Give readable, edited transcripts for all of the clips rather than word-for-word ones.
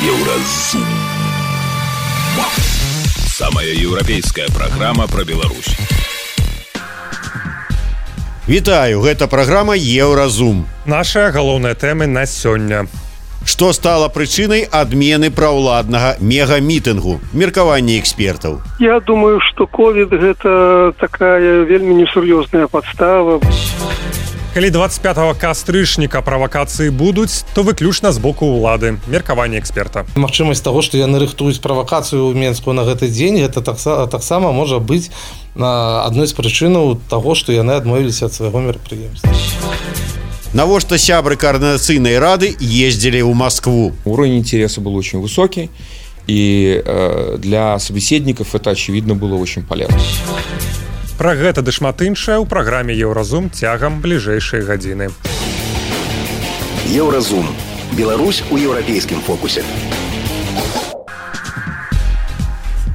Еўразум. Самая еўрапейская праграма пра Беларусь. Вітаю, гэта праграма Еўразум. Наша галоўная тэма на сёння. Што стала прычынай адмены праўладнага мегамітынгу? Меркаванне экспертаў. Я думаю, што ковід гэта такая вельмі несур'ёзная падстава. Калі 25 кастрычніка правакацыі будуць, то выключна з боку ўлады. Меркаванне эксперта. Магчымасць таго, што яны рыхтуюць правакацыю ў Менску на гэты дзень, гэта таксама можа быць адной з прычынаў таго, што яны адмовіліся ад свайго мерапрыемства. Навошта сябры координацыйнай рады ездили в Москву? Уровень интереса был очень высокий, и для собеседников это, очевидно, было очень полезно. Пра гэта ды шмат іншае ў праграме Еўразум цягам бліжэйшай гадзіны. Еўразум. Беларусь у еўрапейскім фокусе.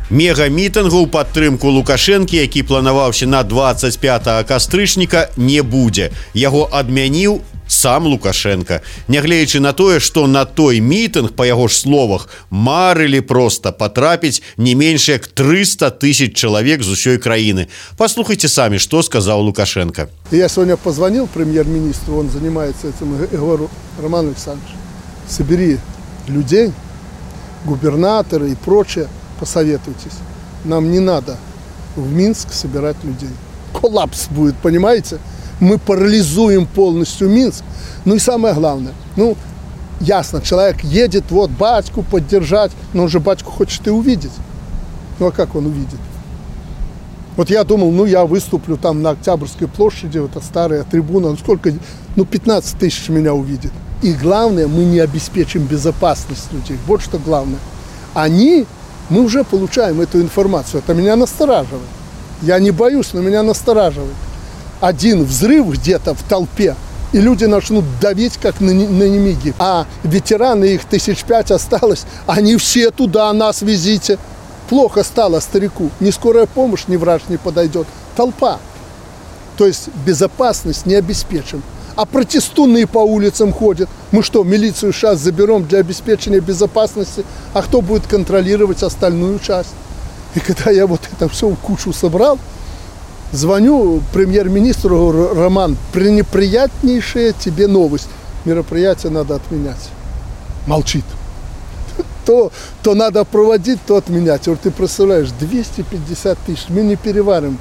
Мегамітынгу ў падтрымку Лукашэнкі, які планаваўся на 25 кастрычніка, не будзе. Яго адмяніў сам Лукашенко. Нягледзячы на тое, што на той мітынг, па яго ж словах, марылі проста патрапіць не менш як 300 000 чалавек з усёй краіны. Послухайте сами, что сказал Лукашенко. Я сегодня позвонил премьер-министру, он занимается этим, и говорю: Роман Александрович, собери людей, губернаторы и прочее, посоветуйтесь. Нам не надо в Минск собирать людей. Коллапс будет, понимаете? Мы парализуем полностью Минск. Ну и самое главное, ясно, человек едет, вот, батьку поддержать, но он же батьку хочет и увидеть. Ну а как он увидит? Вот я думал, я выступлю там на Октябрьской площади, это старая трибуна, 15 000 меня увидит. И главное, мы не обеспечим безопасность людей. Вот что главное. Мы уже получаем эту информацию. Это меня настораживает. Я не боюсь, но меня настораживает. Один взрыв где-то в толпе, и люди начнут давить, как на немиги. А ветераны, их 5 осталось, они все туда, нас везите. Плохо стало старику. Ни скорая помощь, ни врач не подойдет. Толпа. То есть безопасность не обеспечим. А протестуны по улицам ходят. Мы что, милицию сейчас заберем для обеспечения безопасности? А кто будет контролировать остальную часть? И когда я вот это все в кучу собрал, звоню премьер-министру, говорю: Роман, пренеприятнейшая тебе новость. Мероприятие надо отменять. Молчит. То надо проводить, то отменять. Я говорю: ты представляешь, 250 000, мы не переварим.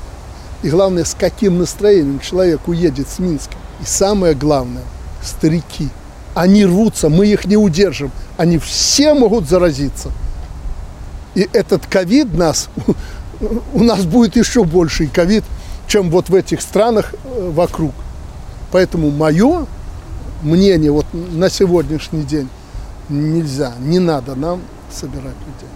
И главное, с каким настроением человек уедет с Минска. И самое главное, старики. Они рвутся, мы их не удержим. Они все могут заразиться. И этот ковид у нас будет еще больший ковид, чем вот в этих странах вокруг. Поэтому мое мнение вот на сегодняшний день: нельзя, не надо нам собирать людей.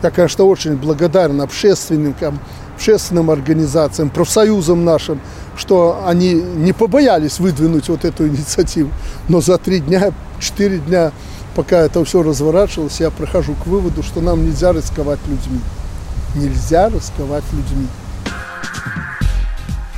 Я, конечно, очень благодарен общественникам, общественным организациям, профсоюзам нашим, что они не побоялись выдвинуть вот эту инициативу. Но за 3 дня, 4 дня, пока это все разворачивалось, я прихожу к выводу, что нам нельзя рисковать людьми. Нельзя рисковать людьми.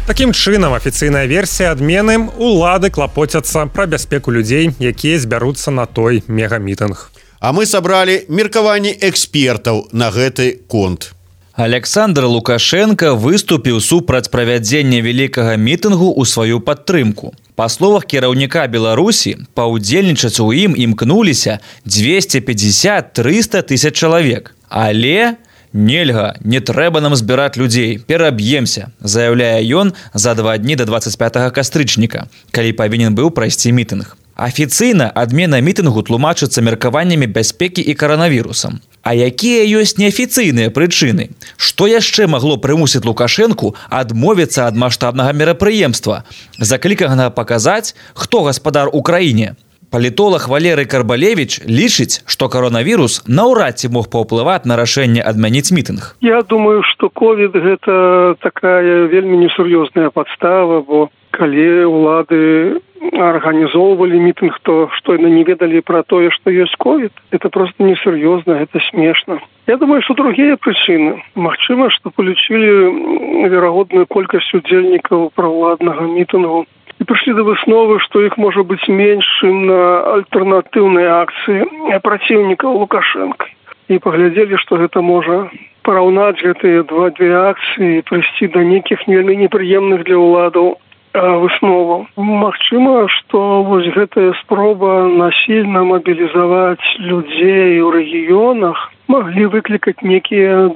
Такім чынам, афіцыйная версія адмены: улады клапоцяцца пра бяспеку людзей, якія збяруцца на той мегамітынг. А мы сабралі меркаванні экспертаў на гэты конт. Александр Лукашенко выступіў супраць правядзення вялікага мітынгу ў сваю падтрымку. Па словах кіраўніка Беларусі, паўдзельнічаць у ім імкнуліся 250-300 000 чалавек. Але нельга, не трэба нам збіраць людзей, пераб'емся, заяўляе ён за 2 дні да 25 кастрычніка, калі павінен быў прайсці мітынг. Афіцыйна адмена мітынгу тлумачыцца меркаваннямі бяспекі і каранавірусам. А якія ёсць неафіцыйныя прычыны? Што яшчэ магло прымусіць Лукашэнку адмовіцца ад маштабнага мерапрыемства, закліканага паказаць, хто гаспадар у краіне? Палітолог Валерый Карбалевич лічыць, што каронавірус наўрад ці мог паўплываць на рашэнне адмяніць мітынг. Я думаю, што ковід гэта такая вельмі несур'ёзная падстава, бо калі ўлады организовывали митинг, то что они не ведали про то, что есть ковид. Это просто несерьезно, это смешно. Я думаю, что другие причины. Магчыма, что получили верагодную колькасць удзельнікаў праваладнага мітынгу и пришли до высновы, что их может быть меньше на альтернативные акции противников Лукашенко. И поглядели, что это можно поравнать эти две акции и привести до неких неприемных для уладов высноваў. Магчыма, што вось гэтая спроба насильно мобилизовать людей в регионах могли выкликать некие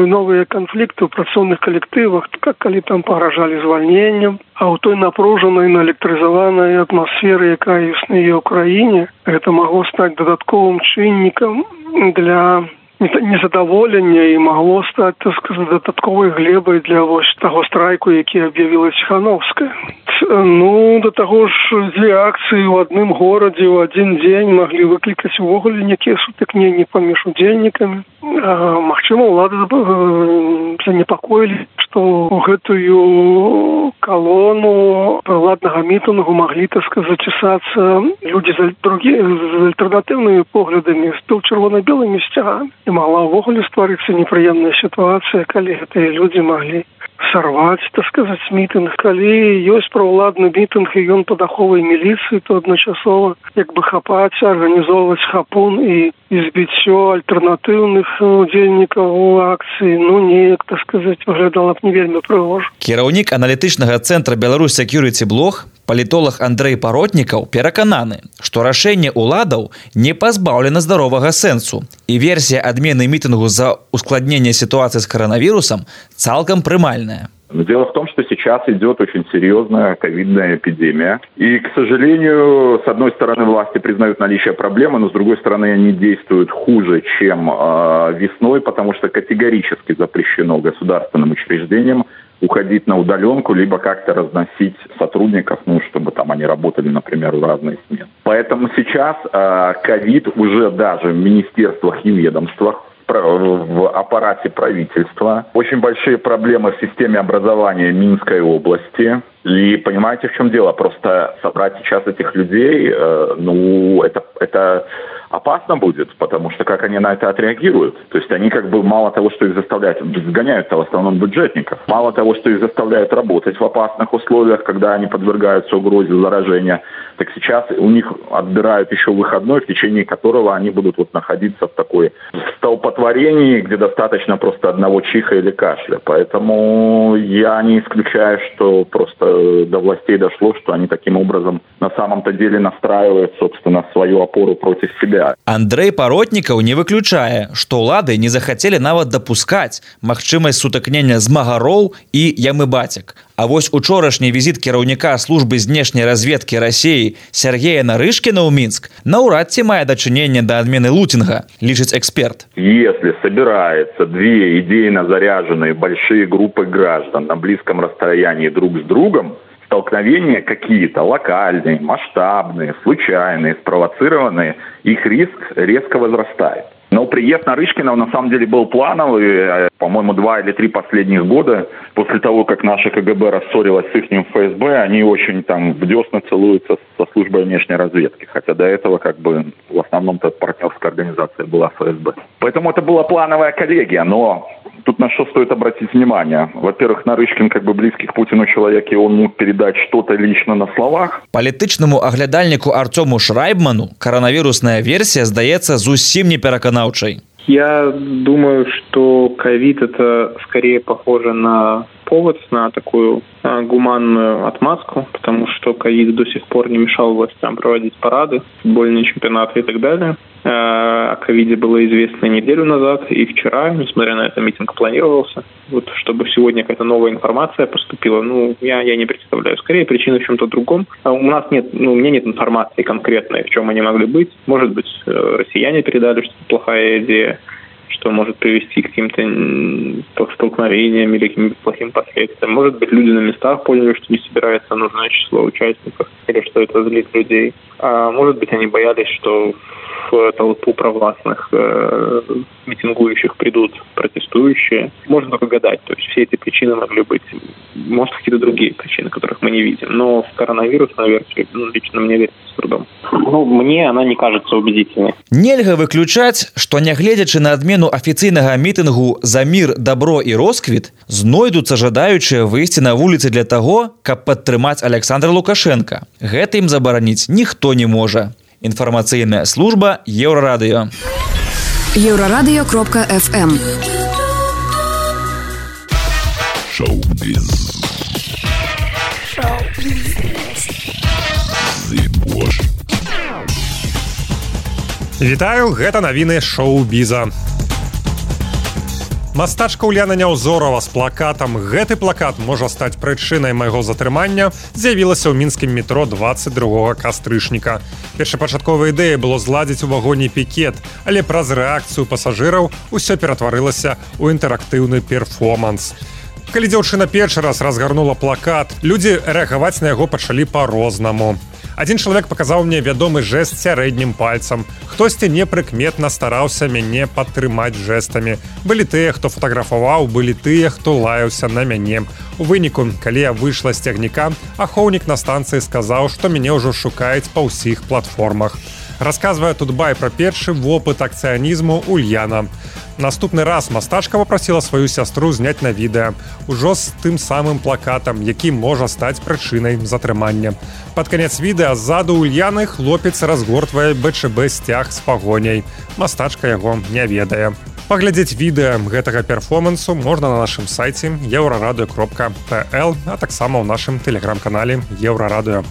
новые конфликты в працоўных коллективах, как коли там погрожали звольнением. А у той напруженной, наэлектризованной атмосферы, якая есть на Украине, это могло стать додатковым чинником для незадоволення і могло стати, так сказати, додатковою глебою для ось того страйку, який об'явила Тихановська. Ну, до того ж, дві акції в одному городі в один день могли викликати увогуле некие сутыкнения поміж удзельнікамі. Магчыма, улады занепакоілі, што ў гэтую колонну ладнага мітынгу могли, так сказать, чесаться люди з альтернативными поглядами, з червоно-белыми стягами. И могла увогуле стварыцца неприемная ситуация, калі гэтыя люди могли сорвать, так сказать, митинг. Калі ёсць праўладны митинг, і ён под аховай милиции, то одночасова як бы хапаць, организовывать хапун и избіццё альтернативных удзельнікаў акцыі, ну, неяк, так сказать, выглядала б не вельмі прыгожа. Кіраўнік аналітычнага цэнтра Беларусь Security Блог, палітолог Андрэй Паротнікаў перакананы, што рашэнне ўладаў не пазбаўлена здаровага сэнсу, і версія адмены мітынгу за ускладнение ситуации с коронавирусом цалкам прымальная. Но дело в том, что сейчас идет очень серьезная ковидная эпидемия. И, к сожалению, с одной стороны, власти признают наличие проблемы, но с другой стороны, они действуют хуже, чем весной, потому что категорически запрещено государственным учреждениям уходить на удаленку, либо как-то разносить сотрудников, ну, чтобы там они работали, например, в разные смены. Поэтому сейчас ковид уже даже в министерствах и ведомствах, в аппарате правительства. Очень большие проблемы в системе образования Минской области. И понимаете, в чем дело? Просто собрать сейчас этих людей, ну, это опасно будет, потому что как они на это отреагируют. То есть они как бы мало того, что их заставляют, сгоняют-то в основном бюджетников, мало того, что их заставляют работать в опасных условиях, когда они подвергаются угрозе заражения, так сейчас у них отбирают еще выходной, в течение которого они будут вот находиться в такой столпотворении, где достаточно просто одного чиха или кашля. Поэтому я не исключаю, что просто до властей дошло, что они таким образом на самом-то деле настраивают, собственно, свою опору против себя. Андрэй Паротнікаў не выключае, што ўлады не захацелі нават дапускаць магчымасць сутыкнення змагароў і ямы-бацяк. А вось учорашні візіт кіраўніка службы знешняй разведкі России Сергея Нарышкіна ў Мінск наўрад ці мае дачыненне да адмены лутинга, лічыць эксперт. Если собираются две идейно заряженные большие группы граждан на близком расстоянии друг с другом, столкновения какие-то локальные, масштабные, случайные, спровоцированные, их риск резко возрастает. Но приезд Нарышкина на самом деле был плановый. По-моему, 2 или 3 последних года, после того, как наша КГБ рассорилась с ихним ФСБ, они очень там в десна целуются со службой внешней разведки. Хотя до этого как бы в основном-то партнерская организация была ФСБ. Поэтому это была плановая коллегия, но тут на что стоит обратить внимание. Во-первых, Нарышкин как бы близкий к Путину человек, и он мог передать что-то лично на словах. Палітычнаму аглядальніку Артему Шрайбману коронавирусная версия здаецца зусім не пераканаўчай. Я думаю, что ковид это скорее похоже на повод, на такую гуманную отмазку, потому что ковид до сих пор не мешал властям проводить парады, футбольные чемпионаты и так далее. О ковиде было известно неделю назад и вчера, несмотря на это, митинг планировался. Вот чтобы сегодня какая-то новая информация поступила, ну, я не представляю. Скорее, причина в чем-то другом. У нас нет, у меня нет информации конкретной, в чем они могли быть. Может быть, россияне передали, что это плохая идея, что может привести к каким-то столкновениям или каким-то плохим последствиям. Может быть, люди на местах поняли, что не собирается нужное число участников, или что это злит людей. А может быть, они боялись, что в толпу провластных митингующих придут протестующие. Можно только гадать. То есть все эти причины могли быть. Может, какие-то другие причины, которых мы не видим. Но в коронавирусную версию лично мне верится с трудом. Мне она не кажется убедительной. Нельга выключаць, што нягледзячы на адмену афіцыйнага мітынгу «За мір, дабро і росквіт» знойдуцца жадаючыя выйсці на вуліцы для таго, каб падтрымаць Александра Лукашенка. Гэта ім забараніць ніхто не можа. Інфармацыйная служба Еўрарадыё. Еўрарадыё.фм. Шоу-біз. Вітаю, гэта навіны шоу-біза. Мастачка Уляна Няўзорова з плакатам «Гэты плакат можа стаць прычынай майго затрымання» з'явілася ў мінскім метро 22 кастрычніка. Першапачатковая ідэя было зладзіць у вагоне пікет, але праз рэакцыю пасажыраў усё ператварылася ў інтэрактыўны перформанс. Калі дзяўчына першы раз разгарнула плакат, людзі рэагаваць на яго пачалі па-рознаму. Адзін чалавек паказаў мне вядомы жэст сярэднім пальцам. Хтосьці непрыкметна стараўся мяне падтрымаць жэстамі. Былі тыя, хто фатаграфаваў, былі тыя, хто лаяўся на мяне. У выніку, калі я выйшла з цягніка, ахоўнік на станцыі сказаў, што мяне ўжо шукаюць па ўсіх платформах. Расказвае тут бай пра першы вопыт акцыянізму Ульяна. Наступны раз мастачка папрасіла сваю сястру зняць на відэа, ужо з тым самым плакатам, які можа стаць прычынай затрымання. Пад канец відэа ззаду Ульяны хлопец разгортвае БЧБ сцяг з пагоняй. Мастачка яго не ведае. Паглядзець відэа гэтага перформансу можна на нашым сайце euraradio.pl, а таксама ў нашым тэлеграм-канале Еўрарадыё.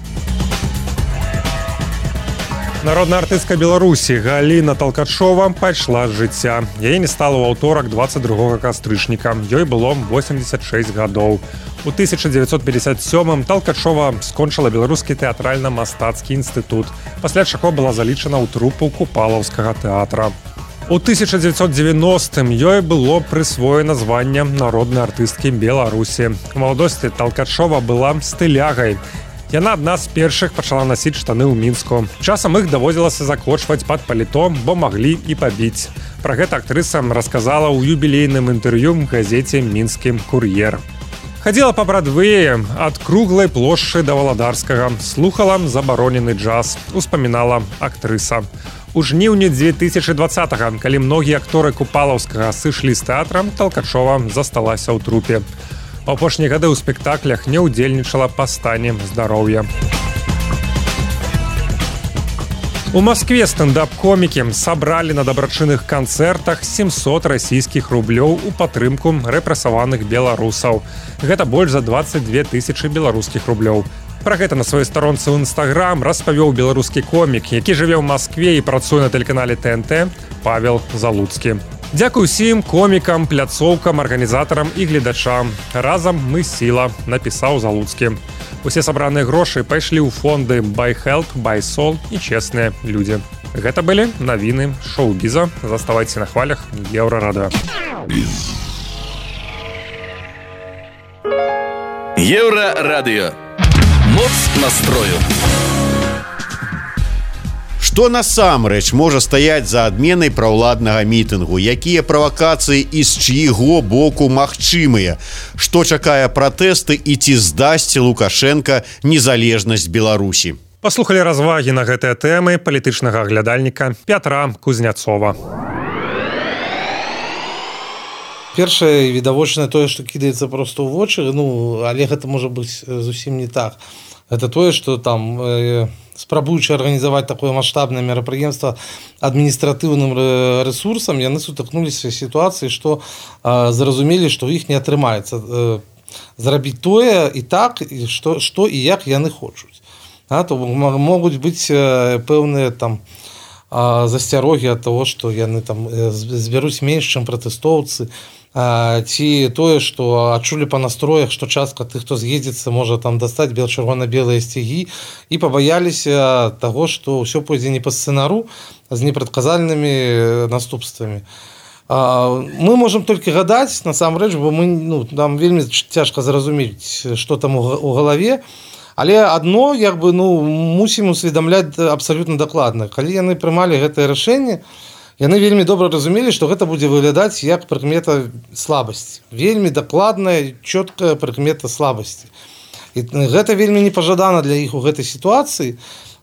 Народная артыстка Беларусі Галіна Талкачова пайшла з жыцця. Яе не стала ў аўторак 22 кастрычніка. Ёй было 86 гадоў. У 1957-м Талкачова скончыла Беларускі тэатральна-мастацкі інстытут, пасля чаго была залічана ў трупу Купалаўскага тэатра. У 1990-м ёй было прысвоена званне народнай артысткі Беларусі. У маладосці Талкачова была стылягай. Яна адна з першых пачала насіць штаны ў Мінску. Часам іх даводзілася закочваць пад паліто, бо маглі і пабіць. Пра гэта актрыса расказала ў юбілейным інтэрв'ю газеце «Мінскі кур'ер». Хадзіла па Брадвеі ад круглай плошчы да Валадарскага, слухала забаронены джаз, успамінала актрыса. У жніўні 2020-го, калі многія акторы Купалаўскага сышлі з тэатра, Талкачова засталася ў трупе. У апошнія гады ў спектаклях не ўдзельнічала па стане здароўя. У Маскве стендап-комікі сабралі на дабрачынных канцэртах 700 расійскіх рублёў у падтрымку рэпрэсаваных беларусаў. Гэта больш за 22 тысячы беларускіх рублёў. Пра гэта на сваёй старонцы ў Інстаграм распавёў беларускі комік, які жыве ў Маскве і працуе на тэлеканале ТНТ, Павел Залуцкі. Дзякуй усім комікам, пляцоўкам, арганізатарам і гледачам. Разам мы сіла, напісаў Залуцкі. Усе сабраныя грошы пайшлі ў фонды Buy Health, Buy Soul і чэсныя людзі. Гэта былі навіны шоу-біза. Заставайце на хвалях Еўрарадыё. Еўрарадыё. Моц настрою. Што насамрэч можа стаяць за адменай праўладнага мітынгу? Якія правакацыі і з чыйго боку магчымыя? Што чакае пратэсты і ці здасць Лукашенка незалежнасць Беларусі? Паслухалі развагі на гэтыя тэмы палітычнага аглядальніка Пятра Кузняцова. Першае відавочнае тое, што кідаецца проста ў вочы, але гэта можа быць зусім не так. Это тое, што там спрабуючы арганізаваць такое маштабнае мерапрыемства адміністратыўным рэсурсам, яны сутыкнуліся з сітуацыяй, што зразумелі, што ў іх не атрымаецца зрабіць тое і так, што і як яны хочуць. То могуць быць пэўныя там засцярогі ад таго, што яны там збяруць менш, чым пратэстоўцы, ці тое, што адчулі па настроях, што частка тых, хто з'едзецца, можа там дастаць чырвона-белыя сцягі і пабаяліся таго, што ўсё пойдзе не па сцэнару з непрадказальнымі наступствамі. Мы можам толькі гадаць, насамрэч, бо нам вельмі цяжка зразумець, што там у галаве, Але адно мусім усведамляць абсалютна дакладна. Калі яны прымалі гэтае рашэнне, яны вельмі добра разумелі, што гэта будзе выглядаць як прыкмета слабасці. Вельмі дакладная, чёткая прыкмета слабасці. І гэта вельмі непажадана для іх у гэтай сітуацыі.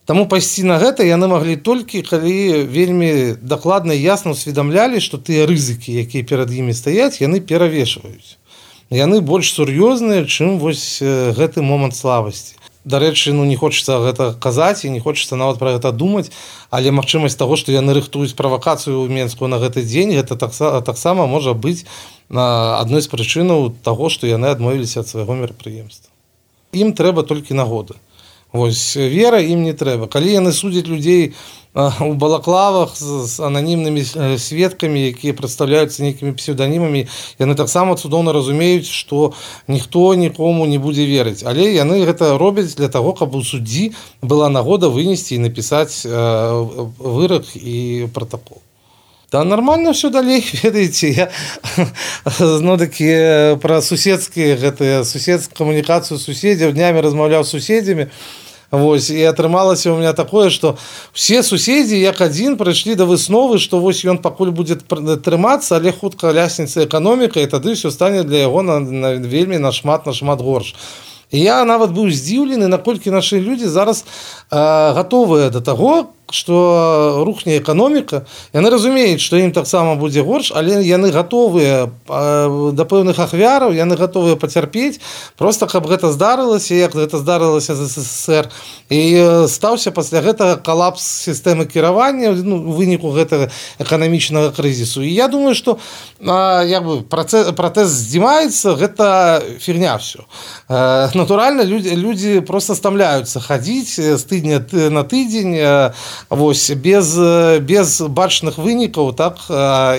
Таму пайсці на гэта яны маглі толькі, калі вельмі дакладна і ясна усведамлялі, што тыя рызыкі, якія перад імі стаяць, яны перавешваюць. Яны больш сур'ёзныя, чым вось гэты момант слабасці. Дарэчы, не хочацца гэта казаць і не хочацца нават пра гэта думаць, але магчымасць таго, што яны рыхтуюць правакацыю ў Менску на гэты дзень, гэта таксама можа быць адной з прычынаў таго, што яны адмовіліся ад свайго мерапрыемства. Ім трэба толькі нагода. Вось вера ім не трэба. Калі яны судзяць людзей у балаклавах з ананімнымі сведкамі, якія прадстаўляюцца нейкімі псеўданімамі, яны таксама цудоўна разумеюць, што ніхто нікому не будзе верыць. Але яны гэта робяць для таго, каб у суддзі была нагода вынесці і напісаць вырак і пратакол. Да нормально все далей, ведаеце, я такі пра суседскія камунікацыю суседзяў, днямі размаўляў з суседзямі. Вось, і атрымалася у меня такое, што все суседзі як адзін прыйшлі да высновы, што вось ён пакуль будзе трымацца, але хутка ляснецца эканоміка, і тады ўсё стане для яго вельмі нашмат горш. І я нават быў здзіўлены, наколькі нашы людзі зараз гатовыя да таго, што рухне эканоміка. Яны разумеюць, што ім таксама будзе горш, але яны гатовыя да пэўных ахвяраў, яны гатовыя пацярпець, проста каб гэта здарылася, як гэта здарылася з СССР. І стаўся пасля гэтага калапс сістэмы кіравання у выніку гэтага эканамічнага крызісу. І я думаю, што пратэст здзімаецца, гэта фігня ўсё. Натуральна, людзі проста стамляюцца хадзіць з тыдня на тыдзень, вось, без бачных вынікаў, так,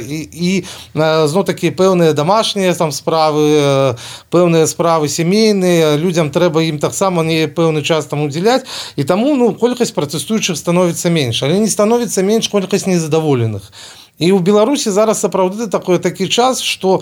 і зноў такі пэўныя дамашнія там справы, пэўныя справы сямейныя, людзям трэба ім таксама не пэўны час там удзяляць, і таму колькасць пратэстуючых становіцца менш, але не становіцца менш колькасць незадаволеных. І ў Беларусі зараз сапраўды такі час, што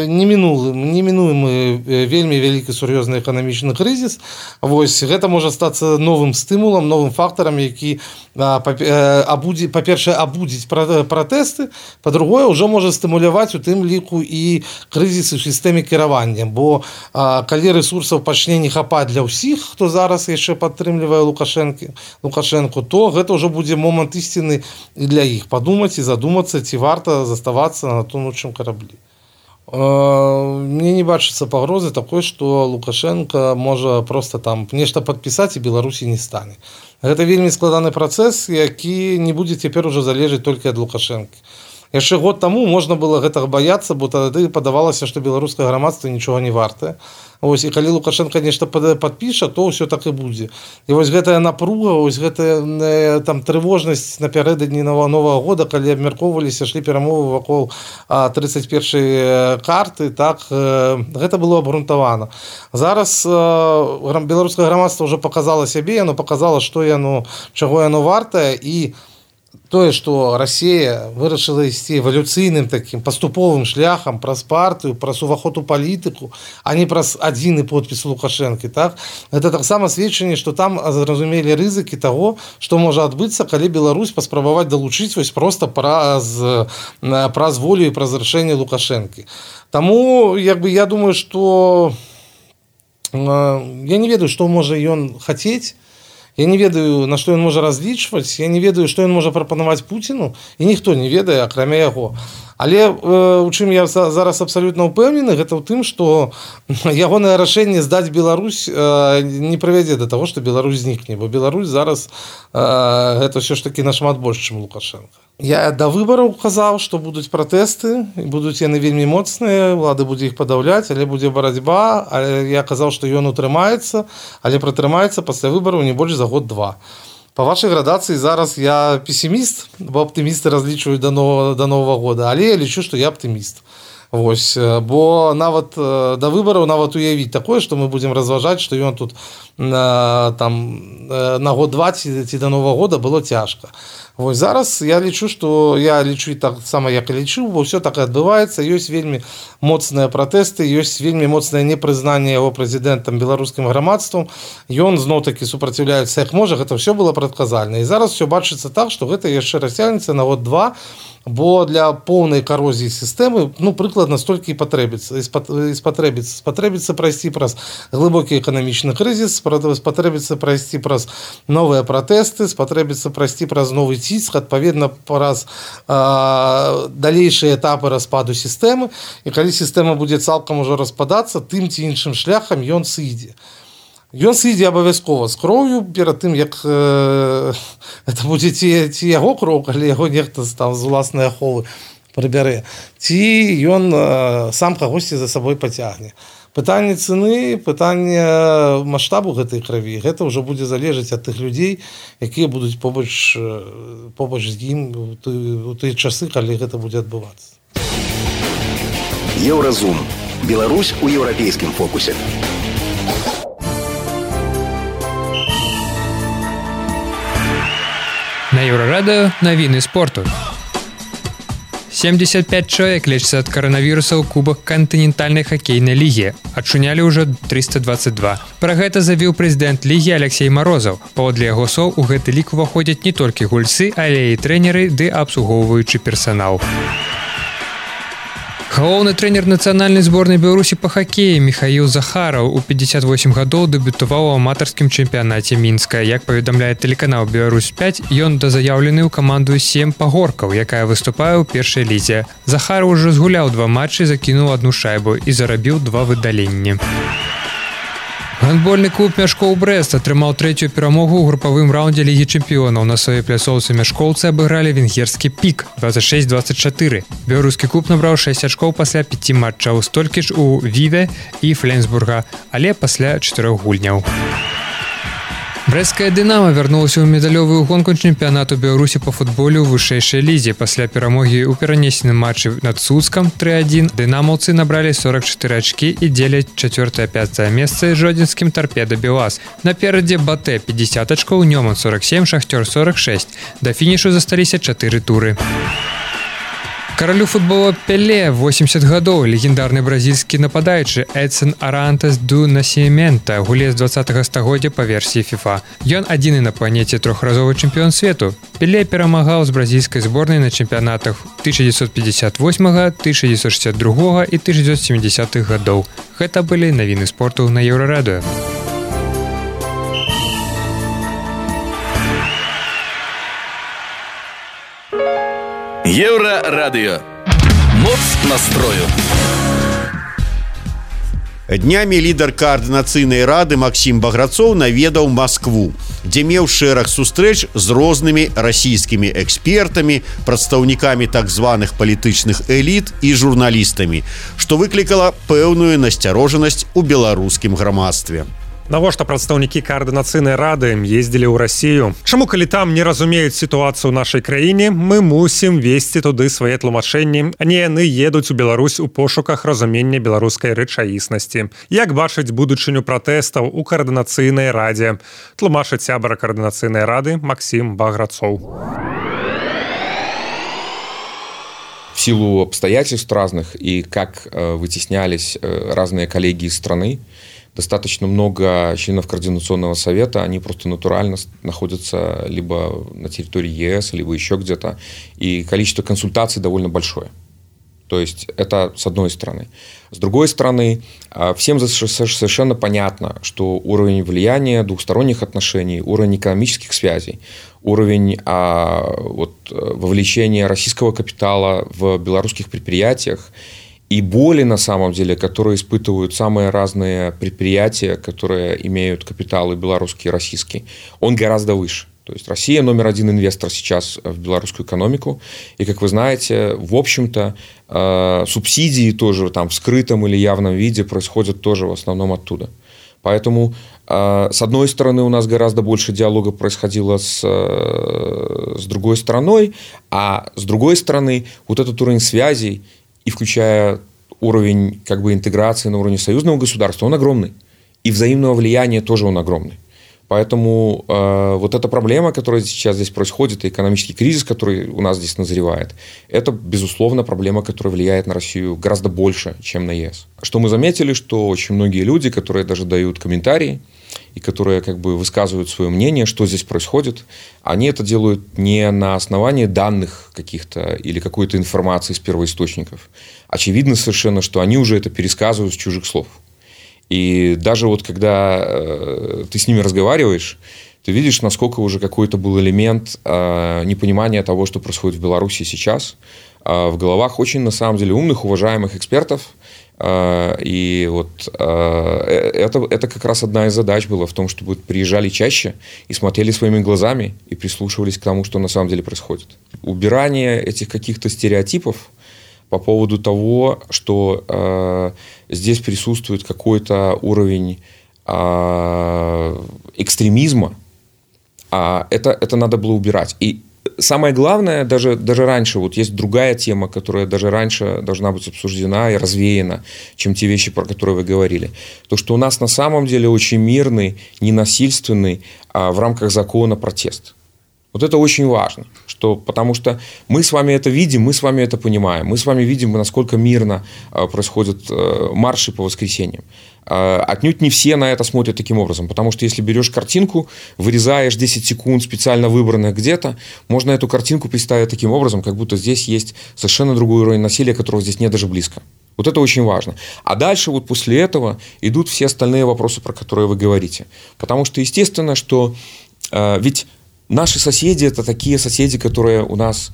немінуемы вельмі вялікі сур'ёзны эканамічны крызіс. Вось, гэта можа стацца новым стымулам, новым фактарам, які, па-першае, абудзіць пратэсты, па-другое, ўжо можа стымуляваць у тым ліку і крызіс у сістэме кіравання. Бо калі рэсурсаў пачне не хапаць для ўсіх, хто зараз яшчэ падтрымлівае Лукашэнку, то гэта ўжо будзе момант ісціны і для іх падумаць і задумацца, ці варта заставацца на тонучым караблі. Мне не бачыцца пагрозы такой, што Лукашенко можа проста там нешта падпісаць і Беларусі не стане. Гэта вельмі складаны працэс, які не будзе цяпер ужо залежаць толькі ад Лукашэнкі. Яшчэ год таму можна было гэтага баяцца, бо тады падавалася, што беларускае грамадства нічога не вартае. Вось, і калі Лукашенко нешта падпіша, то ўсё так і будзе. І вось гэтая напруга, вось гэтая там трывожнасць напярэдадні новага года, калі абмяркоўваліся, шлі перамовы вакол 31-й карты, так, гэта было абгрунтавана. Зараз беларускае грамадства ўжо паказала сябе, яно паказала, што яно, чаго яно вартае, і тое, што Расія вырашыла ісці эвалюцыйным такім паступовым шляхам праз партыю, праз уваход у палітыку, а не праз адзіны подпіс Лукашэнкі, так? Гэта таксама сведчанне, што там зразумелі рызыкі таго, што можа адбыцца, калі Беларусь паспрабаваць далучыць вось проста праз волю і праз рашэнне Лукашэнкі. Таму, я думаю, што я не ведаю, што можа ён хацець. Я не ведаю, на што ён можа разлічваць, я не ведаю, што ён можа прапанаваць Пуціну, і ніхто не ведае, акрамя яго. Але у чым я зараз абсалютна ўпэўнены, гэта ў тым, што ягонае рашэнне здаць Беларусь не прывядзе да таго, што Беларусь знікне, бо Беларусь зараз гэта ўсё ж такі нашмат больш, чым Лукашенко. Я да выбараў казаў, што будуць пратэсты, будуць яны вельмі моцныя, ўлада будзе іх падаўляць, але будзе барацьба, але я казаў, што ён утрымаецца, але пратрымаецца пасля выбараў не больш за год-два. Па вашай градацыі зараз я песіміст, бо аптымісты разлічваюць да новага года, але я лічу, што я аптыміст. Вось, бо нават да выбараў нават уявіць такое, што мы будзем разважаць, што ён тут там на год-два ці да Новага года было цяжка. Вось зараз я лічу і так сама як і лічыў, бо ўсё так і адбываецца, ёсць вельмі моцныя пратэсты, ёсць вельмі моцнае непрызнанне яго прэзідэнтам беларускім грамадствам. Ён зноў-такі супраціўляецца як можа, гэта ўсё было прадказальна. І зараз ўсё бачыцца так, што гэта яшчэ расцягнецца на год-два, бо для поўнай карозіі сістэмы прыкладна столькі і спатрэбіцца прайсці праз глыбокі эканамічны крызіс, спатрэбіцца прайсці праз новыя пратэсты, спатрэбіцца прайсці праз новы ціск, адпаведна праз далейшыя этапы распаду сістэмы, і калі сістэма будзе цалкам ужо распадацца, тым ці іншым шляхам ён сыдзе. Ён сыдзе абавязкова з кроўю перад тым, як это будзе ці яго кроў, калі яго нехта там з уласнай аховы прыбярэ, ці ён сам кагосьці за сабой пацягне. Пытанне цэны, пытанне маштабу гэтай крыві, гэта ўжо будзе залежаць ад тых людзей, якія будуць побач з ім у тыя часы, калі гэта будзе адбывацца. Еўразум. Беларусь у еўрапейскім фокусе. На Еўрарадыё навіны спорту. 75 чалавек лечыцца ад каранавіруса ў кубах кантынентальнай хакейнай лігі. Адчунялі ўжо 322. Пра гэта заявіў прэзідэнт лігі Алексей Марозаў. Паводле яго слоў, у гэты лік уваходзяць не толькі гульцы, але і трэнеры ды абслугоўваючы персанал. Галоўны трэнер нацыянальнай зборнай Беларусі па хакеі Міхаіл Захараў у 58 гадоў дэбютаваў у аматарскім чэмпіянаце Мінска. Як паведамляе тэлеканал «Беларусь-5», ён дазаяўлены ў каманду 7 пагоркаў, якая выступае ў першай лізе. Захараў ужо згуляў 2 матчы, закінуў 1 шайбу і зарабіў 2 выдаленні. Гандбольны клуб «Мяшкоў Брэст» атрымаў 3-ю перамогу ў групавым раўндзе Лігі чэмпіёнаў. На сваёй пляцоўцы мяшкоўцы абыгралі венгерскі «Пік» 26-24. Беларускі клуб набраў 6 ачкоў пасля 5 матчаў, столькі ж у «Віве» і «Фленсбурга», але пасля 4 гульняў. Брэсцкая «Дынама» вярнулася ў медалёвую гонку чэмпіянату Беларусі па футболе ў вышэйшай лізе. Пасля перамогі ў перанесеным матчы над Суцкам 3-1 дынамаўцы набралі 44 ачкі і дзеляць 4-5 месца жодзінскім «Тарпеда Белаз». Наперадзе «Батэ» 50 ачкоў, «Нёман» 47, «Шахтёр» 46. Да фінішу засталіся 4 туры. Каралю футбола Пеле 80 гадоў легендарны бразільскі нападаючы Эдсон Арантес ду Насімента, гулец 20-го стагоддзя па версіі FIFA. Ён адзіны на планеце трохразовы чэмпіён свету. Пеле перамагаў з бразільскай зборнай на чэмпіянатах 1958, 1962 і 1970 гадоў. Гэта былі навіны спорту на Еўрарадыё. Еўрарадыё. Моц настрою. Днямі лідар каардынацыйнай рады Максім Баграцоў наведаў Маскву, дзе меў шэраг сустрэч з рознымі расійскімі экспертамі, прадстаўнікамі так званых палітычных эліт і журналістамі, што выклікала пэўную насцярожанасць у беларускім грамадстве. Навошта прадстаўнікі каардынацыйнай рады ездзілі ў Расію? Чаму, калі там не разумеюць сітуацыю ў нашай краіне, мы мусім весці туды свае тлумачэнні, а не яны едуць у Беларусь у пошуках разумення беларускай рэчаіснасці? Як бачыць будучыню пратэстаў у каардынацыйнай радзе? Тлумачыць сябар каардынацыйнай рады Максім Баграцоў. В силу обстоятельств разных и как вытеснялись разные коллеги из страны, достаточно много членов Координационного совета, они просто натурально находятся либо на территории ЕС, либо еще где-то, и количество консультаций довольно большое. То есть это с одной стороны. С другой стороны, всем совершенно понятно, что уровень влияния двухсторонних отношений, уровень экономических связей, уровень вовлечения российского капитала в белорусских предприятиях и боли, на самом деле, которые испытывают самые разные предприятия, которые имеют капиталы белорусский и российский, он гораздо выше. То есть Россия номер один инвестор сейчас в белорусскую экономику. И, как вы знаете, в общем-то, субсидии тоже там в скрытом или явном виде происходят тоже в основном оттуда. Поэтому, с одной стороны, у нас гораздо больше диалога происходило с другой стороной, а с другой стороны, вот этот уровень связей, и включая уровень как бы интеграции на уровне союзного государства, он огромный. И взаимного влияния тоже он огромный. Поэтому вот эта проблема, которая сейчас здесь происходит, и экономический кризис, который у нас здесь назревает, это, безусловно, проблема, которая влияет на Россию гораздо больше, чем на ЕС. Что мы заметили, что очень многие люди, которые даже дают комментарии, и которые как бы высказывают свое мнение, что здесь происходит, они это делают не на основании данных каких-то или какой-то информации из первоисточников. Очевидно совершенно, что они уже это пересказывают с чужих слов. И даже вот когда ты с ними разговариваешь, ты видишь, насколько уже какой-то был элемент непонимания того, что происходит в Беларуси сейчас, в головах очень, на самом деле, умных, уважаемых экспертов. И вот это как раз одна из задач была в том, чтобы приезжали чаще и смотрели своими глазами и прислушивались к тому, что на самом деле происходит. Убирание этих каких-то стереотипов по поводу того, что здесь присутствует какой-то уровень экстремизма, это надо было убирать. И самое главное, даже раньше, вот есть другая тема, которая даже раньше должна быть обсуждена и развеяна, чем те вещи, про которые вы говорили. То, что у нас на самом деле очень мирный, ненасильственный, в рамках закона протест. Вот это очень важно, потому что мы с вами это видим, мы с вами это понимаем, мы с вами видим, насколько мирно происходят марши по воскресеньям. Отнюдь не все на это смотрят таким образом, потому что если берешь картинку, вырезаешь 10 секунд специально выбранных где-то, можно эту картинку представить таким образом, как будто здесь есть совершенно другой уровень насилия, которого здесь нет даже близко. Вот это очень важно. А дальше вот после этого идут все остальные вопросы, про которые вы говорите. Потому что естественно, что ведь наши соседи – это такие соседи, которые у нас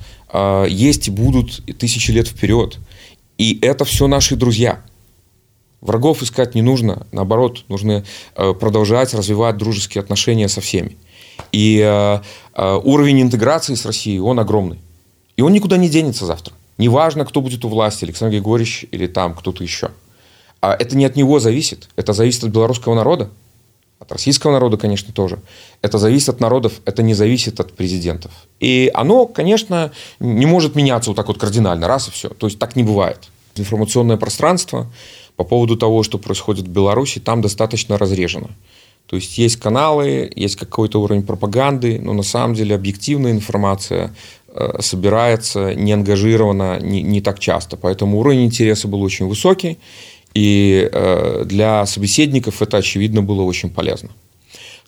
есть и будут тысячи лет вперед. И это все наши друзья. Врагов искать не нужно. Наоборот, нужно продолжать развивать дружеские отношения со всеми. И уровень интеграции с Россией, он огромный. И он никуда не денется завтра. Неважно, кто будет у власти, Александр Григорьевич или там кто-то еще. Это не от него зависит. Это зависит от белорусского народа. От российского народа, конечно, тоже. Это зависит от народов, это не зависит от президентов. И оно, конечно, не может меняться вот так вот кардинально, раз и все. То есть так не бывает. Информационное пространство по поводу того, что происходит в Беларуси, там достаточно разрежено. То есть есть каналы, есть какой-то уровень пропаганды, но на самом деле объективная информация собирается неангажированно, не так часто. Поэтому уровень интереса был очень высокий. И для собеседников это, очевидно, было очень полезно.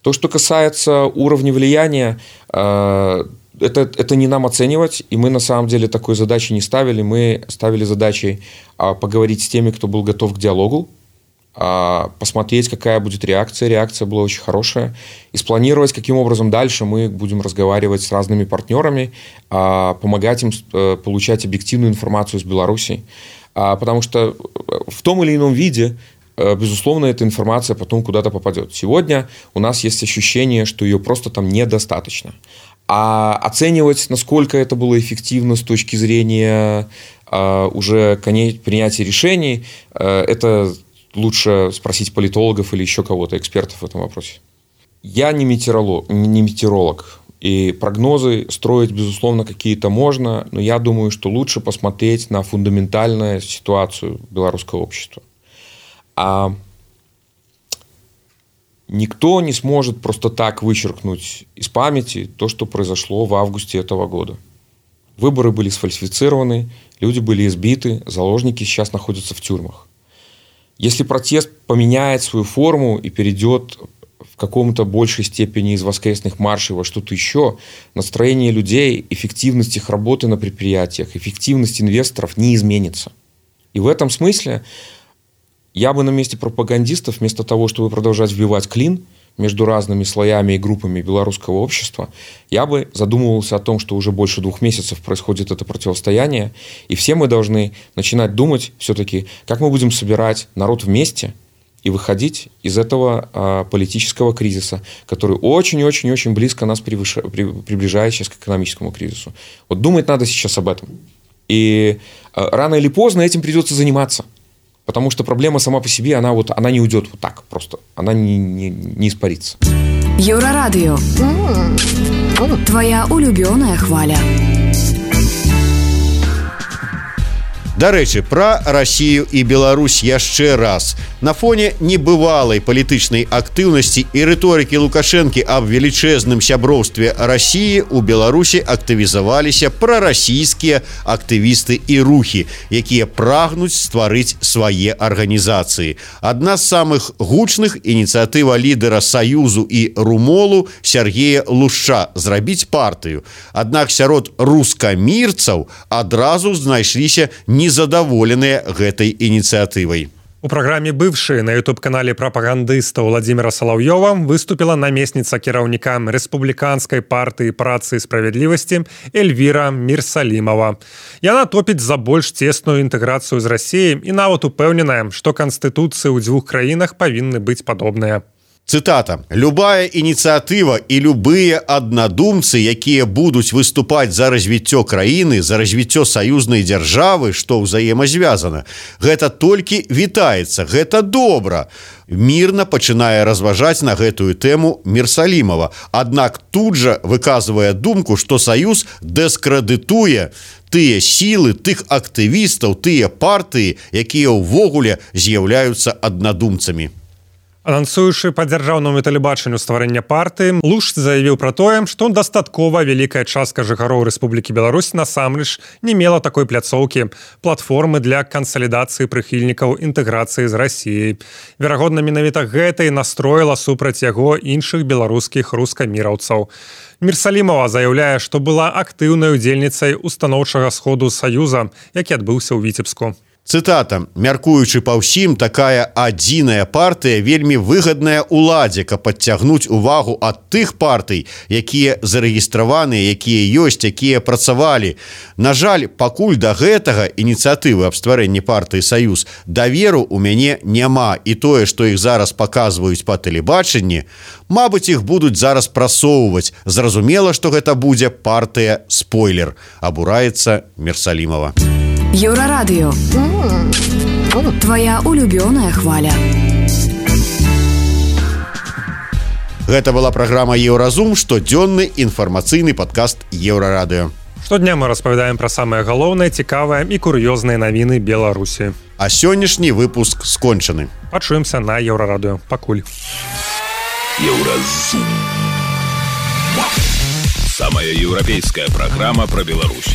То, что касается уровня влияния, это не нам оценивать, и мы на самом деле такой задачи не ставили. Мы ставили задачей поговорить с теми, кто был готов к диалогу, посмотреть, какая будет реакция. Реакция была очень хорошая. И спланировать, каким образом дальше мы будем разговаривать с разными партнерами, помогать им получать объективную информацию из Беларуси. Потому что в том или ином виде, безусловно, эта информация потом куда-то попадет. Сегодня у нас есть ощущение, что ее просто там недостаточно. А оценивать, насколько это было эффективно с точки зрения уже принятия решений, это лучше спросить политологов или еще кого-то, экспертов в этом вопросе. Я не метеоролог. И прогнозы строить, безусловно, какие-то можно, но я думаю, что лучше посмотреть на фундаментальную ситуацию белорусского общества. А никто не сможет просто так вычеркнуть из памяти то, что произошло в августе этого года. Выборы были сфальсифицированы, люди были избиты, заложники сейчас находятся в тюрьмах. Если протест поменяет свою форму и перейдет в каком-то большей степени из воскресных маршей во что-то еще, настроение людей, эффективность их работы на предприятиях, эффективность инвесторов не изменится. И в этом смысле я бы на месте пропагандистов, вместо того, чтобы продолжать вбивать клин между разными слоями и группами белорусского общества, я бы задумывался о том, что уже больше 2 месяцев происходит это противостояние, и все мы должны начинать думать все-таки, как мы будем собирать народ вместе и выходить из этого политического кризиса, который очень-очень-очень близко нас приближает сейчас к экономическому кризису. Вот думать надо сейчас об этом. И рано или поздно этим придется заниматься. Потому что проблема сама по себе, она не уйдет вот так просто. Она не испарится. Еврорадио. Твоя улюбленная хваля. Дарэчы, пра Расію і Беларусь яшчэ раз. На фоне небывалай палітычнай актыўнасці і рыторыкі Лукашэнкі аб велічэзным сяброўстве Расіі у Беларусі актывізаваліся прарасійскія актывісты і рухі, якія прагнуць стварыць свае арганізацыі. Адна з самых гучных ініцыятыва лідера Саюзу і Румолу Сергея Лушча зрабіць партыю. Аднак сярод рускамірцаў адразу знайшліся незадаволеныя гэтай ініцыятывай. У праграме «Бывшие» на YouTube-канале прапагандыста Владимира Соловьёва выступила намесніца кіраўніка Рэспубліканскай партыі працы і справядлівасці Эльвіра Мірсалімова. Яна топіць за больш цесную інтэграцыю з Расіяй і нават упэўненая, што канстытуцыі ў дзвюх краінах павінны быць падобныя. Цытата. «Любая ініцыятыва і любыя аднадумцы, якія будуць выступаць за развіццё краіны, за развіццё саюзнай дзяржавы, што ўзаемазвязана, гэта толькі вітаецца, гэта добра». Мірна пачынае разважаць на гэтую тэму Мірсалімова. Аднак тут жа выказвае думку, што Саюз дыскрэдытуе тыя сілы, тых актывістаў, тыя партыі, якія ўвогуле з'яўляюцца аднадумцамі. Анансуючы па дзяржаўнаму тэлебачанню стварэння партыі, Лушч заявіў пра тое, што дастаткова вялікая частка жыхароў Рэспублікі Беларусь насамрэч не мела такой пляцоўкі, платформы для кансалідацыі прыхільнікаў інтэграцыі з Расіяй. Верагодна, менавіта гэта і настроіла супраць яго іншых беларускіх рускаміраўцаў. Мірсалімова заяўляе, што была актыўнай удзельніцай устаноўчага сходу Саюза, які адбыўся ў Віцебску. Цытата. «Мяркуючы па ўсім, такая адзіная партыя вельмі выгадная ўладзе, каб падцягнуць увагу ад тых партый, якія зарэгістраваныя, якія ёсць, якія працавалі. На жаль, пакуль да гэтага ініцыятывы аб стварэнні партыі Саюз даверу ў мяне няма, і тое, што іх зараз паказваюць па тэлебачанні, мабыць, іх будуць зараз прасоўваць. Зразумела, што гэта будзе партыя спойлер», абураецца Мірсалімова. Еўрарадыё. Твоя улюбёная хваля. Гэта была праграма «Еўразум», штодзённы інфармацыйны падкаст Еўрарадыё. Штодня мы распавядаем пра самае галоўнае, цікавае і кур'ёзныя навіны Беларусі. А сённяшні выпуск скончаны. Пачуемся на Еўрарадыё. Пакуль. Еўразум. Самая еўрапейская праграма пра Беларусь.